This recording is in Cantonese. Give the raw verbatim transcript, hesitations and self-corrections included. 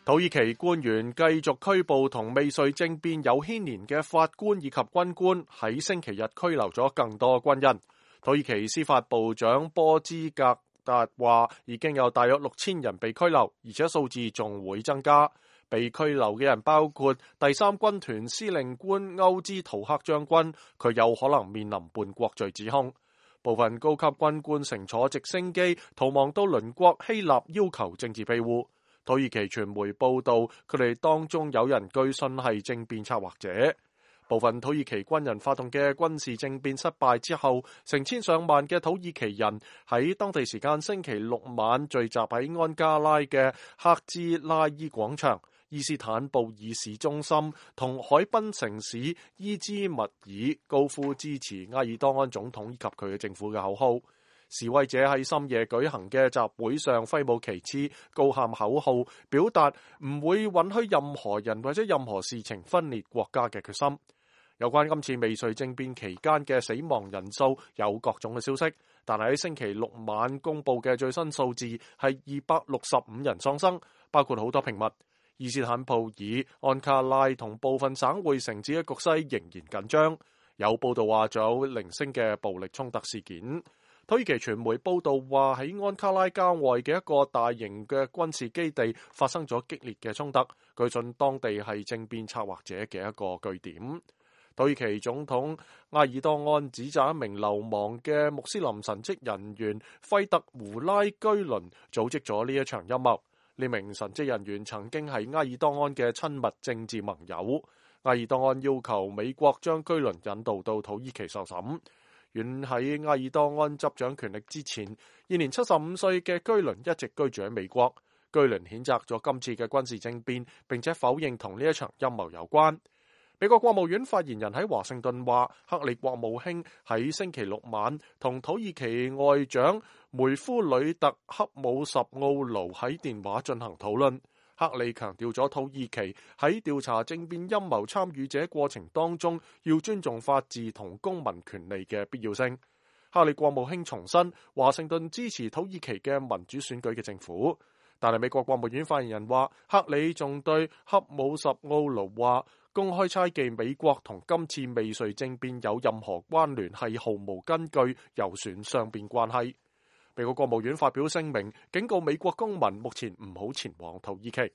土耳其官員繼續拘捕同未遂政變有牽連嘅法官以及軍官，喺星期日拘留咗更多軍人。土耳其司法部長波茲格達話，已經有大約六千人被拘留，而且數字仲會增加。被拘留嘅人包括第三軍團司令官歐茲圖克將軍，佢有可能面臨叛國罪指控。部分高級軍官乘坐直升機逃亡到鄰國希臘，要求政治庇護。土耳其傳媒報道，佢哋當中有人據信係政變策劃者。部分土耳其軍人發動嘅軍事政變失敗之後，成千上萬嘅土耳其人喺當地時間星期六晚聚集喺安加拉嘅赫茲拉伊廣場、伊斯坦布爾市中心同海濱城市伊茲密爾，高呼支持埃爾多安總統以及佢嘅政府嘅口號。示威者喺深夜舉行嘅集會上揮舞旗幟，高喊口號，表達唔會允許任何人或者任何事情分裂國家嘅決心。有關今次未遂政變期間嘅死亡人數有各種嘅消息，但係喺星期六晚公布嘅最新數字係二百六十五人喪生，包括好多平民。伊斯坦布爾、安卡拉同部分省會城市嘅局勢仍然緊張，有報道話仲有零星嘅暴力衝突事件。土耳其傳媒報道話，喺安卡拉郊外嘅一個大型嘅軍事基地發生咗激烈嘅衝突，據信當地係政變策劃者嘅一個據點。土耳其總統埃爾多安指責一名流亡嘅穆斯林神職人員費特胡拉居倫組織咗呢一場陰謀。呢名神職人員曾經係埃爾多安嘅親密政治盟友。埃爾多安要求美國將居倫引渡到土耳其受審。遠喺埃爾多安執掌權力之前，現年七十五歲嘅居倫一直居住喺美國。居倫譴責咗今次嘅軍事政變，並且否認同呢一場陰謀有關。美國國務院發言人喺華盛頓話，克里國務卿喺星期六晚同土耳其外長梅夫呂特克姆什奧盧喺電話進行討論。克里強調咗土耳其喺調查政變陰謀參與者過程當中要尊重法治同公民權利嘅必要性。克里國務卿重申華盛頓支持土耳其嘅民主選舉嘅政府，但係美國國務院發言人話，克里仲對克姆什奧盧話，公開猜忌美國同今次未遂政變有任何關聯係毫無根據，有損雙邊關係。美國國務院發表聲明，警告美國公民目前唔好前往土耳其。